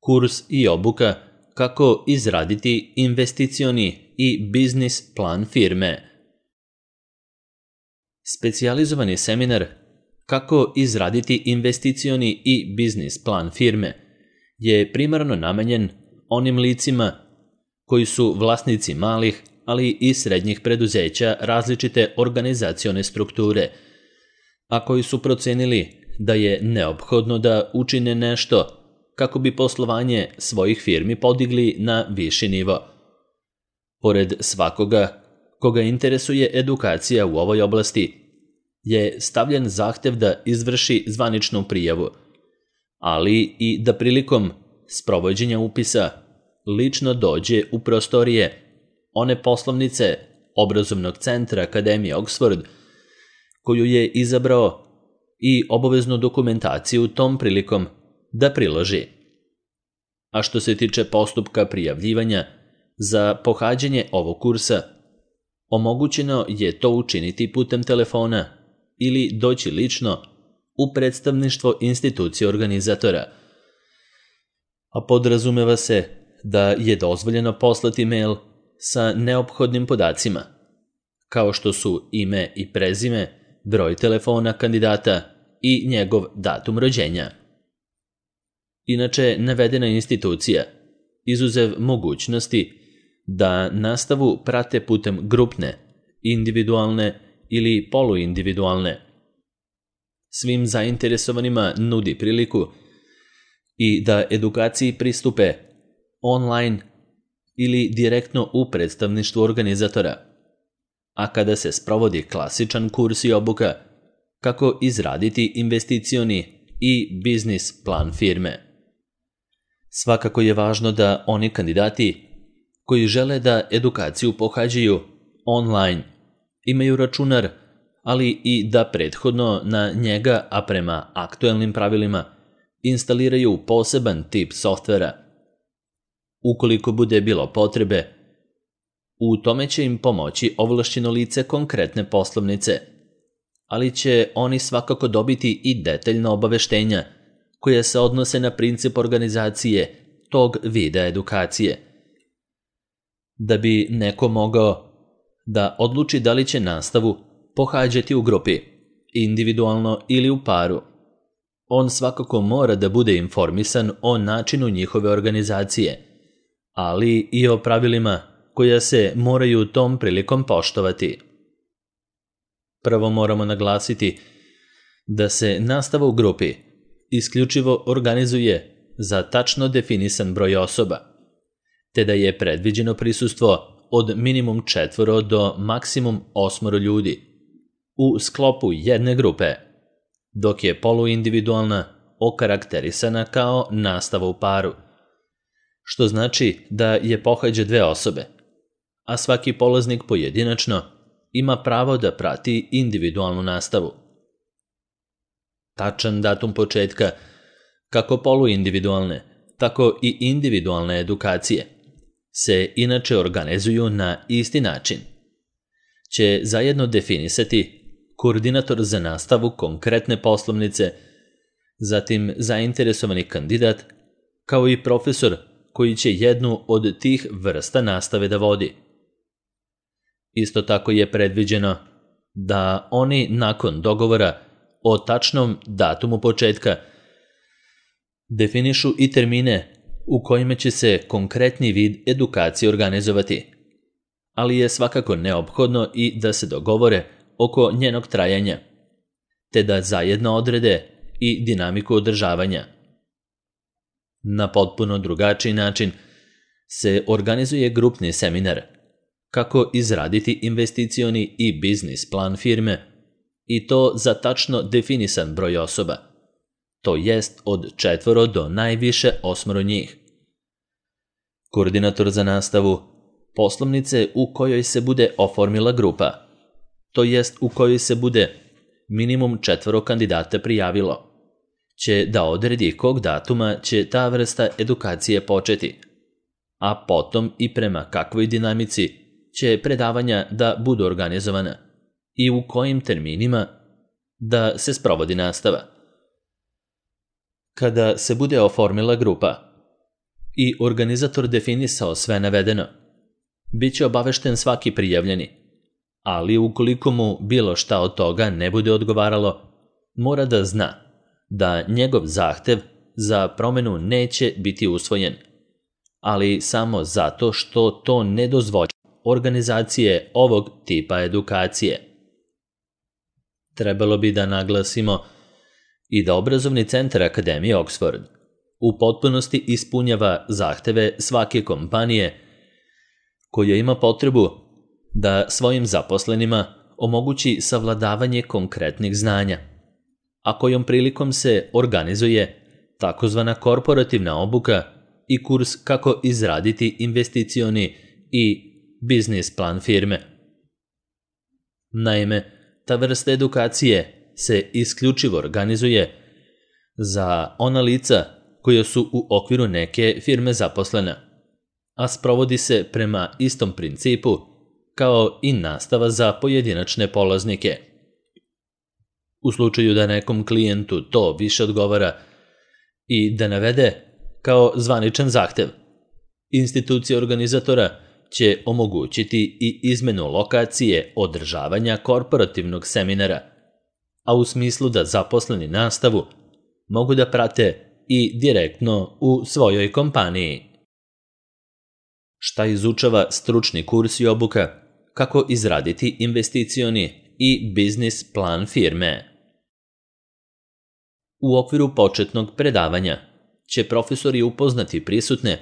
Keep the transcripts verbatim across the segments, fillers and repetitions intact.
kurs i obuka kako izraditi investicioni i biznis plan firme. Specijalizovani seminar kako izraditi investicioni i biznis plan firme je primarno namenjen onim licima koji su vlasnici malih, ali i srednjih preduzeća različite organizacione strukture, a koji su procenili da je neophodno da učine nešto kako bi poslovanje svojih firmi podigli na viši nivo. Pored svakoga koga interesuje edukacija u ovoj oblasti, je stavljen zahtev da izvrši zvaničnu prijavu, ali i da prilikom sprovođenja upisa lično dođe u prostorije one poslovnice obrazovnog centra Akademije Oxford koju je izabrao i obaveznu dokumentaciju tom prilikom da priloži. A što se tiče postupka prijavljivanja za pohađanje ovog kursa, omogućeno je to učiniti putem telefona ili doći lično u predstavništvo institucije organizatora. A podrazumeva se da je dozvoljeno poslati mail sa neophodnim podacima, kao što su ime i prezime, broj telefona kandidata i njegov datum rođenja. Inače, navedena institucija, izuzev mogućnosti da nastavu prate putem grupne, individualne ili poluindividualne, svim zainteresovanima nudi priliku i da edukaciji pristupe online ili direktno u predstavništvu organizatora, a kada se sprovodi klasičan kurs i obuka kako izraditi investicioni i biznis plan firme. Svakako je važno da oni kandidati koji žele da edukaciju pohađaju online imaju računar, ali i da prethodno na njega, a prema aktuelnim pravilima, instaliraju poseban tip softvera. Ukoliko bude bilo potrebe, u tome će im pomoći ovlašćeno lice konkretne poslovnice, ali će oni svakako dobiti i detaljna obaveštenja koja se odnose na princip organizacije tog vida edukacije. Da bi neko mogao da odluči da li će nastavu pohađati u grupi, individualno ili u paru, on svakako mora da bude informisan o načinu njihove organizacije, ali i o pravilima koja se moraju tom prilikom poštovati. Prvo moramo naglasiti da se nastava u grupi isključivo organizuje za tačno definisan broj osoba, te da je predviđeno prisustvo od minimum četvoro do maksimum osmoro ljudi u sklopu jedne grupe, dok je poluindividualna okarakterisana kao nastava u paru, što znači da je pohađa dve osobe, a svaki polaznik pojedinačno ima pravo da prati individualnu nastavu. Tačan datum početka kako poluindividualne, tako i individualne edukacije se inače organizuju na isti način. Će zajedno definisati koordinator za nastavu konkretne poslovnice, zatim zainteresovani kandidat, kao i profesor koji će jednu od tih vrsta nastave da vodi. Isto tako je predviđeno da oni nakon dogovora o tačnom datumu početka definišu i termine u kojima će se konkretni vid edukacije organizovati, ali je svakako neophodno i da se dogovore oko njenog trajanja, te da zajedno odrede i dinamiku održavanja. Na potpuno drugačiji način se organizuje grupni seminar kako izraditi investicioni i biznis plan firme, i to za tačno definisan broj osoba, to jest od četvoro do najviše osmoro njih. Koordinator za nastavu poslovnice u kojoj se bude oformila grupa, to jest u kojoj se bude minimum četvoro kandidata prijavilo, će da odredi kog datuma će ta vrsta edukacije početi, a potom i prema kakvoj dinamici će predavanja da budu organizovana i u kojim terminima da se sprovodi nastava. Kada se bude oformila grupa, i organizator definisao sve navedeno, bit će obavešten svaki prijavljeni, ali ukoliko mu bilo šta od toga ne bude odgovaralo, mora da zna da njegov zahtev za promenu neće biti usvojen, ali samo zato što to ne dozvoljava organizacije ovog tipa edukacije. Trebalo bi da naglasimo i da obrazovni centar Akademije Oxford u potpunosti ispunjava zahteve svake kompanije koja ima potrebu da svojim zaposlenima omogući savladavanje konkretnih znanja, a kojom prilikom se organizuje takozvana korporativna obuka i kurs kako izraditi investicioni i biznis plan firme. Naime, ta vrsta edukacije se isključivo organizuje za ona lica koja su u okviru neke firme zaposlena, a sprovodi se prema istom principu kao i nastava za pojedinačne polaznike. U slučaju da nekom klijentu to više odgovara i da navede kao zvaničan zahtev, institucija organizatora će omogućiti i izmenu lokacije održavanja korporativnog seminara, a u smislu da zaposleni nastavu mogu da prate i direktno u svojoj kompaniji. Šta izučava stručni kurs i obuka kako izraditi investicioni i biznis plan firme? U okviru početnog predavanja će profesori upoznati prisutne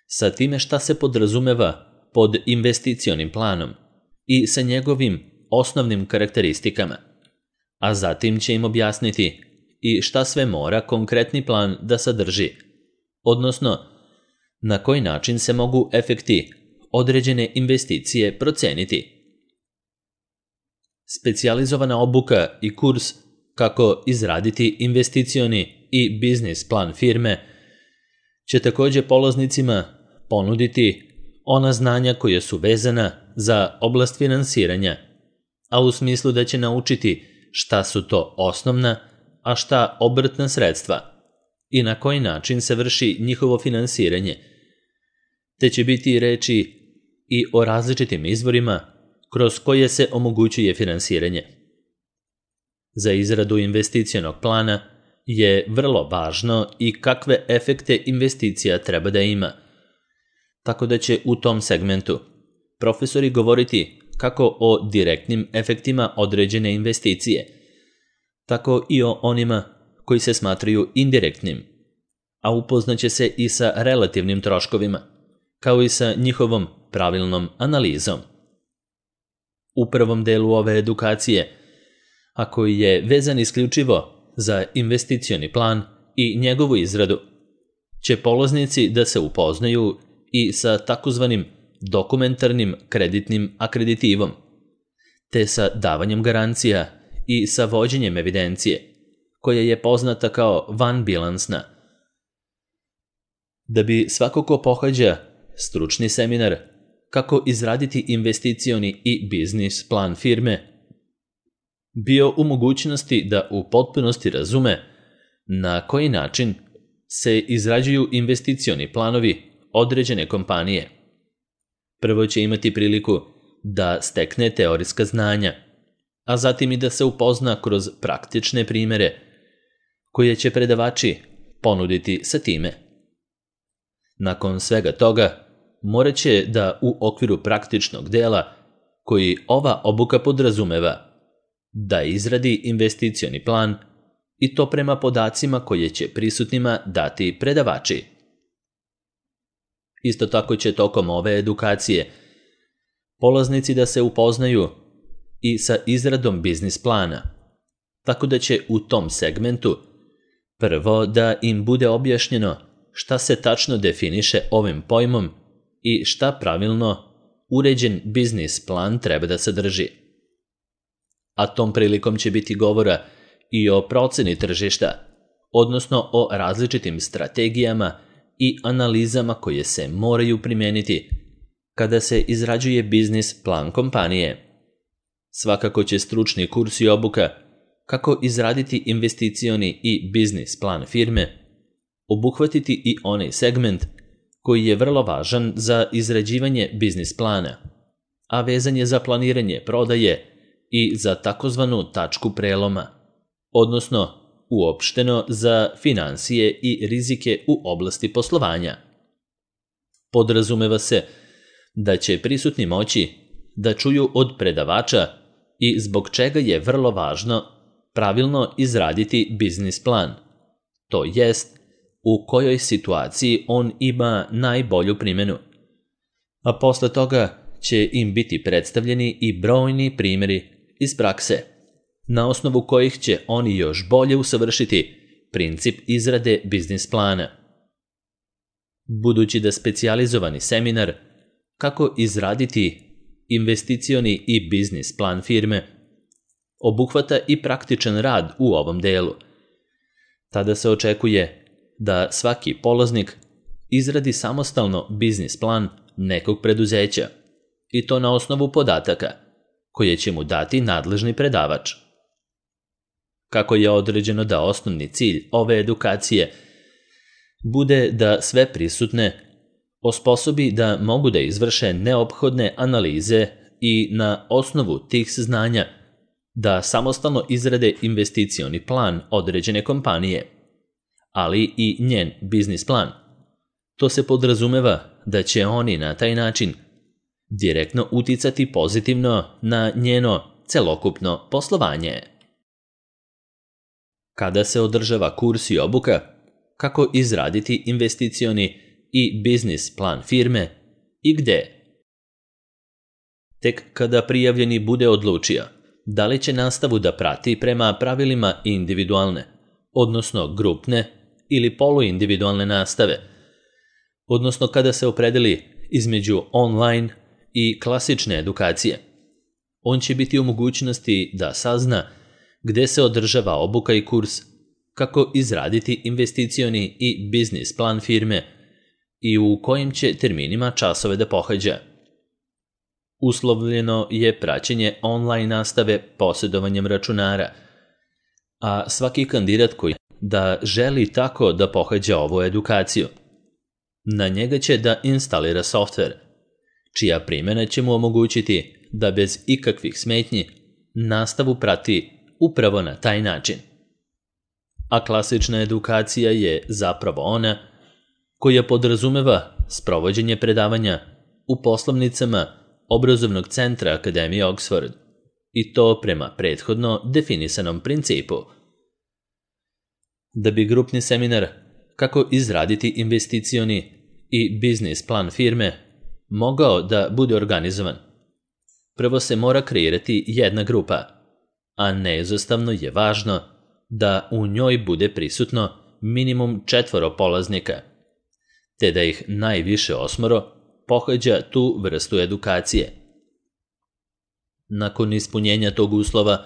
sa time šta se podrazumeva pod investicionim planom i sa njegovim osnovnim karakteristikama, a zatim će im objasniti i šta sve mora konkretni plan da sadrži, odnosno na koji način se mogu efekti određene investicije proceniti. Specijalizovana obuka i kurs kako izraditi investicioni i biznis plan firme će također polaznicima ponuditi ona znanja koja su vezana za oblast finansiranja, a u smislu da će naučiti šta su to osnovna, a šta obrtna sredstva i na koji način se vrši njihovo finansiranje, te će biti reči i o različitim izvorima kroz koje se omogućuje finansiranje. Za izradu investicionog plana je vrlo važno i kakve efekte investicija treba da ima, tako da će u tom segmentu profesori govoriti kako o direktnim efektima određene investicije, tako i o onima koji se smatraju indirektnim, a upoznaće se i sa relativnim troškovima, kao i sa njihovom pravilnom analizom. U prvom delu ove edukacije, a koji je vezan isključivo za investicioni plan i njegovu izradu, će polaznici da se upoznaju i sa takozvanim dokumentarnim kreditnim akreditivom, te sa davanjem garancija i sa vođenjem evidencije, koja je poznata kao vanbilansna. Da bi svako ko pohađa stručni seminar kako izraditi investicioni i biznis plan firme bio u mogućnosti da u potpunosti razume na koji način se izrađuju investicioni planovi određene kompanije. Prvo će imati priliku da stekne teorijska znanja, a zatim i da se upozna kroz praktične primere koje će predavači ponuditi sa time. Nakon svega toga, morat će da u okviru praktičnog dela koji ova obuka podrazumeva, da izradi investicioni plan i to prema podacima koje će prisutnima dati predavači. Isto tako će tokom ove edukacije polaznici da se upoznaju i sa izradom biznis plana, tako da će u tom segmentu prvo da im bude objašnjeno šta se tačno definiše ovim pojmom i šta pravilno uređen biznis plan treba da sadrži. A tom prilikom će biti govora i o proceni tržišta, odnosno o različitim strategijama i analizama koje se moraju primeniti kada se izrađuje biznis plan kompanije. Svakako će stručni kurs i obuka kako izraditi investicioni i biznis plan firme obuhvatiti i onaj segment koji je vrlo važan za izrađivanje biznis plana, a vezan je za planiranje prodaje i za takozvanu tačku preloma, odnosno uopšteno za finansije i rizike u oblasti poslovanja. Podrazumeva se da će prisutni moći da čuju od predavača i zbog čega je vrlo važno pravilno izraditi biznis plan, to jest u kojoj situaciji on ima najbolju primjenu. A posle toga će im biti predstavljeni i brojni primjeri iz prakse, na osnovu kojih će oni još bolje usavršiti princip izrade biznis plana. Budući da specijalizovani seminar kako izraditi investicioni i biznis plan firme obuhvata i praktičan rad u ovom delu, tada se očekuje da svaki polaznik izradi samostalno biznis plan nekog preduzeća i to na osnovu podataka koje će mu dati nadležni predavač. Kako je određeno da osnovni cilj ove edukacije bude da sve prisutne osposobi da mogu da izvrše neophodne analize i na osnovu tih znanja da samostalno izrade investicioni plan određene kompanije, ali i njen biznis plan. To se podrazumeva da će oni na taj način direktno uticati pozitivno na njeno celokupno poslovanje. Kada se održava kurs i obuka kako izraditi investicioni i biznis plan firme i gde? Tek kada prijavljeni bude odlučio da li će nastavu da prati prema pravilima individualne, odnosno grupne ili poluindividualne nastave, odnosno kada se opredeli između online i klasične edukacije, on će biti u mogućnosti da sazna gde se održava obuka i kurs, kako izraditi investicioni i biznis plan firme i u kojim će terminima časove da pohađa. Uslovljeno je praćenje online nastave posjedovanjem računara, a svaki kandidat koji da želi tako da pohađa ovu edukaciju, na njega će da instalira softver, čija primjena će mu omogućiti da bez ikakvih smetnji nastavu prati upravo na taj način. A klasična edukacija je zapravo ona koja podrazumeva sprovođenje predavanja u poslovnicama obrazovnog centra Akademije Oxford, i to prema prethodno definisanom principu. Da bi grupni seminar kako izraditi investicioni i biznis plan firme mogao da bude organizovan, prvo se mora kreirati jedna grupa, a neizostavno je važno da u njoj bude prisutno minimum četvoro polaznika, te da ih najviše osmoro pohađa tu vrstu edukacije. Nakon ispunjenja tog uslova,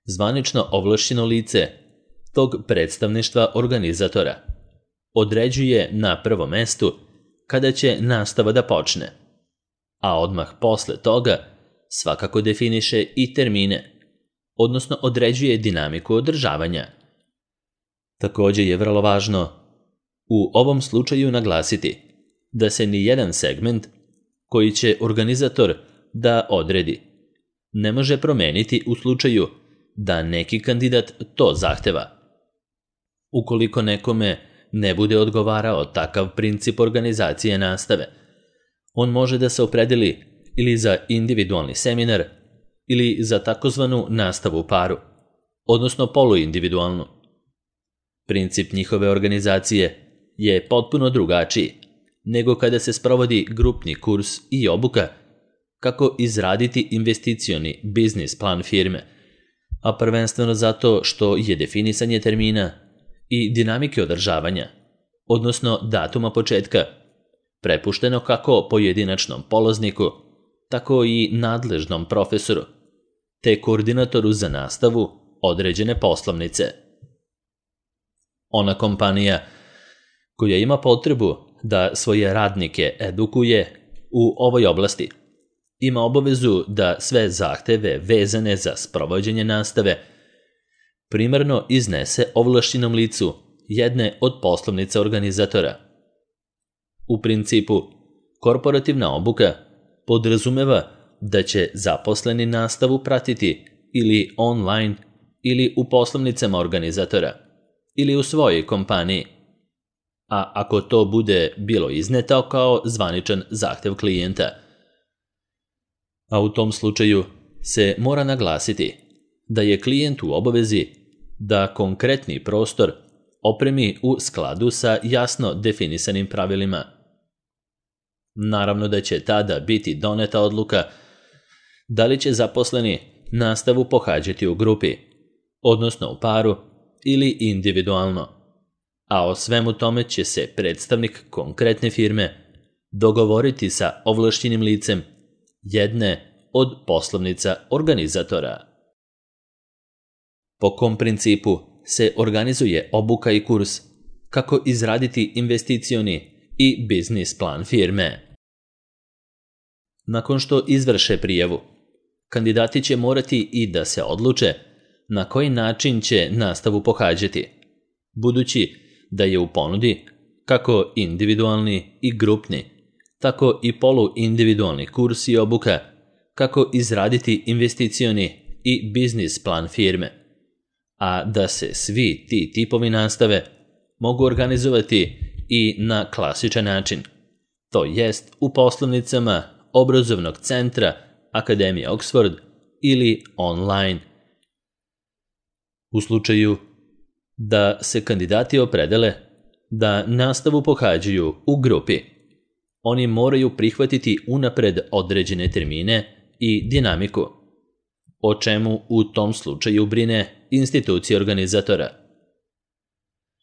zvanično ovlašćeno lice tog predstavništva organizatora određuje na prvom mestu kada će nastava da počne, a odmah posle toga svakako definiše i termine, odnosno određuje dinamiku održavanja. Također je vrlo važno u ovom slučaju naglasiti da se ni jedan segment koji će organizator da odredi ne može promeniti u slučaju da neki kandidat to zahteva. Ukoliko nekome ne bude odgovarao takav princip organizacije nastave, on može da se opredeli ili za individualni seminar ili za takozvanu nastavu u paru, odnosno poluindividualnu. Princip njihove organizacije je potpuno drugačiji nego kada se sprovodi grupni kurs i obuka kako izraditi investicioni biznis plan firme, a prvenstveno zato što je definisanje termina i dinamike održavanja, odnosno datuma početka, prepušteno kako pojedinačnom polazniku, tako i nadležnom profesoru, te koordinatoru za nastavu određene poslovnice. Ona kompanija koja ima potrebu da svoje radnike edukuje u ovoj oblasti ima obavezu da sve zahteve vezane za sprovođenje nastave primarno iznese ovlašćenom licu jedne od poslovnica organizatora. U principu, korporativna obuka podrazumeva da će zaposleni nastavu pratiti ili online ili u poslovnicama organizatora ili u svojoj kompaniji, a ako to bude bilo izneto kao zvaničan zahtev klijenta. A u tom slučaju se mora naglasiti da je klijent u obavezi da konkretni prostor opremi u skladu sa jasno definisanim pravilima. Naravno da će tada biti doneta odluka da li će zaposleni nastavu pohađati u grupi, odnosno u paru ili individualno, a o svemu tome će se predstavnik konkretne firme dogovoriti sa ovlašćenim licem jedne od poslovnica organizatora. Po kom principu se organizuje obuka i kurs, kako izraditi investicioni i biznis plan firme. Nakon što izvrše prijavu, kandidati će morati i da se odluče na koji način će nastavu pohađati, budući da je u ponudi kako individualni i grupni, tako i poluindividualni kurs i obuka kako izraditi investicioni i biznis plan firme, a da se svi ti tipovi nastave mogu organizovati i na klasičan način, to jest u poslovnicama obrazovnog centra Akademije Oxford ili online. U slučaju da se kandidati opredele da nastavu pohađaju u grupi, oni moraju prihvatiti unapred određene termine i dinamiku, o čemu u tom slučaju brine institucija organizatora.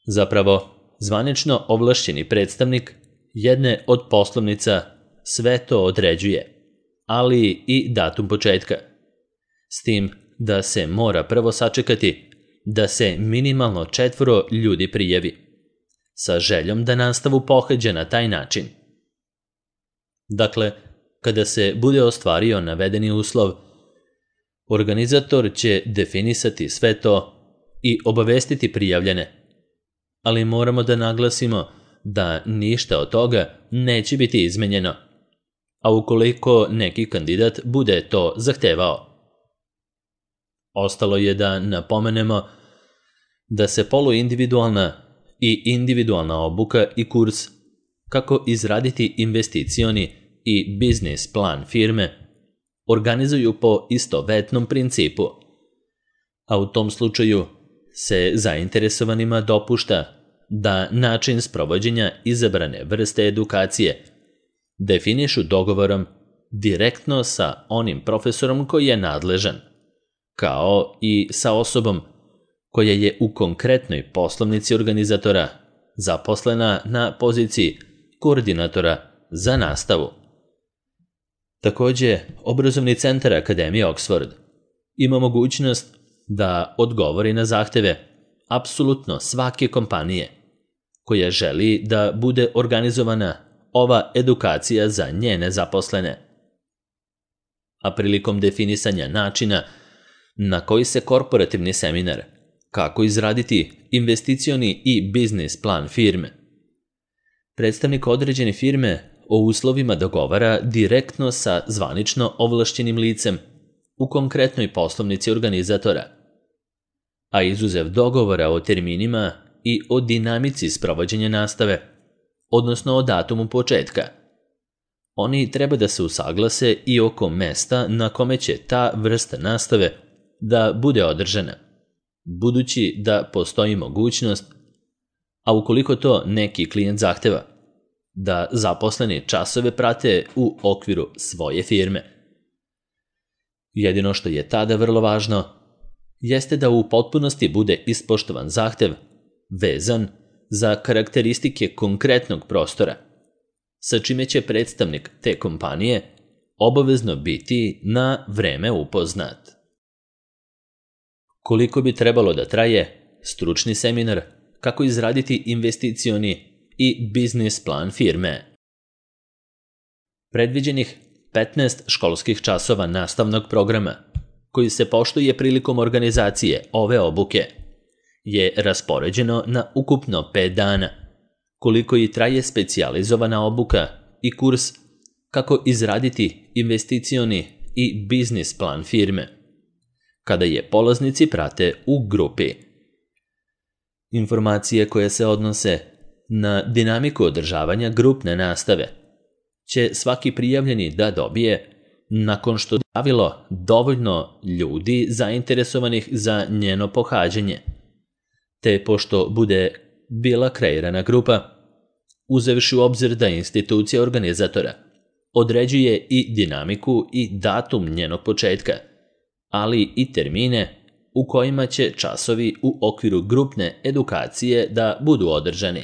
Zapravo, zvanično ovlašćeni predstavnik jedne od poslovnica sve to određuje, ali i datum početka, s tim da se mora prvo sačekati da se minimalno četvoro ljudi prijavi, sa željom da nastavu pohađa na taj način. Dakle, kada se bude ostvario navedeni uslov, organizator će definisati sve to i obavestiti prijavljene, ali moramo da naglasimo da ništa od toga neće biti izmenjeno, a ukoliko neki kandidat bude to zahtevao. Ostalo je da napomenemo da se poluindividualna i individualna obuka i kurs kako izraditi investicioni i biznis plan firme organizuju po istovetnom principu, a u tom slučaju se zainteresovanima dopušta da način sprovođenja izabrane vrste edukacije definišu dogovorom direktno sa onim profesorom koji je nadležan, kao i sa osobom koja je u konkretnoj poslovnici organizatora zaposlena na poziciji koordinatora za nastavu. Također, obrazovni centar Akademije Oxford ima mogućnost da odgovori na zahteve apsolutno svake kompanije koja želi da bude organizovana ova edukacija za njene zaposlene. A prilikom definisanja načina na koji se korporativni seminar, kako izraditi investicioni i biznis plan firme, predstavnik određene firme o uslovima dogovara direktno sa zvanično ovlašćenim licem u konkretnoj poslovnici organizatora, a izuzev dogovora o terminima i o dinamici sprovođenja nastave, odnosno o datumu početka, oni treba da se usaglase i oko mesta na kome će ta vrsta nastave da bude održana, budući da postoji mogućnost, a ukoliko to neki klijent zahteva, da zaposleni časove prate u okviru svoje firme. Jedino što je tada vrlo važno jeste da u potpunosti bude ispoštovan zahtev vezan za karakteristike konkretnog prostora, sa čime će predstavnik te kompanije obavezno biti na vreme upoznat. Koliko bi trebalo da traje stručni seminar kako izraditi investicioni i biznis plan firme? Predviđenih petnaest školskih časova nastavnog programa, koji se poštuje prilikom organizacije ove obuke, je raspoređeno na ukupno pet dana, koliko i traje specijalizovana obuka i kurs kako izraditi investicioni i biznis plan firme, kada je polaznici prate u grupi. Informacije koje se odnose na dinamiku održavanja grupne nastave će svaki prijavljeni da dobije nakon što je javilo dovoljno ljudi zainteresovanih za njeno pohađanje, te pošto bude bila kreirana grupa, uzevši u obzir da institucija organizatora određuje i dinamiku i datum njenog početka, ali i termine u kojima će časovi u okviru grupne edukacije da budu održani.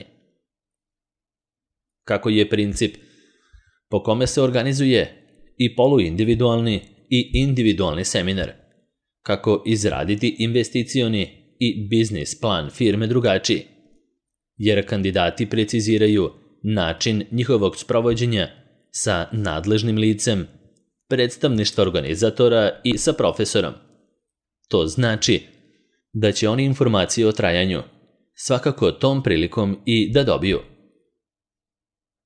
Kako je princip po kome se organizuje i poluindividualni i individualni seminar, kako izraditi investicioni i biznis plan firme drugačiji, jer kandidati preciziraju način njihovog sprovođenja sa nadležnim licem, predstavništva organizatora i sa profesorom. To znači da će oni informacije o trajanju svakako tom prilikom i da dobiju.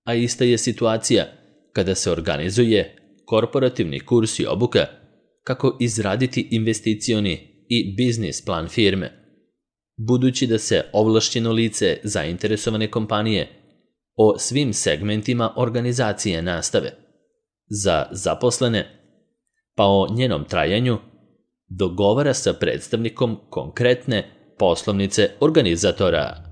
A ista je situacija kada se organizuje korporativni kurs i obuka kako izraditi investicioni i biznis plan firme, budući da se ovlašćeno lice zainteresovane kompanije o svim segmentima organizacije nastave za zaposlene, pa o njenom trajanju dogovara sa predstavnikom konkretne poslovnice organizatora.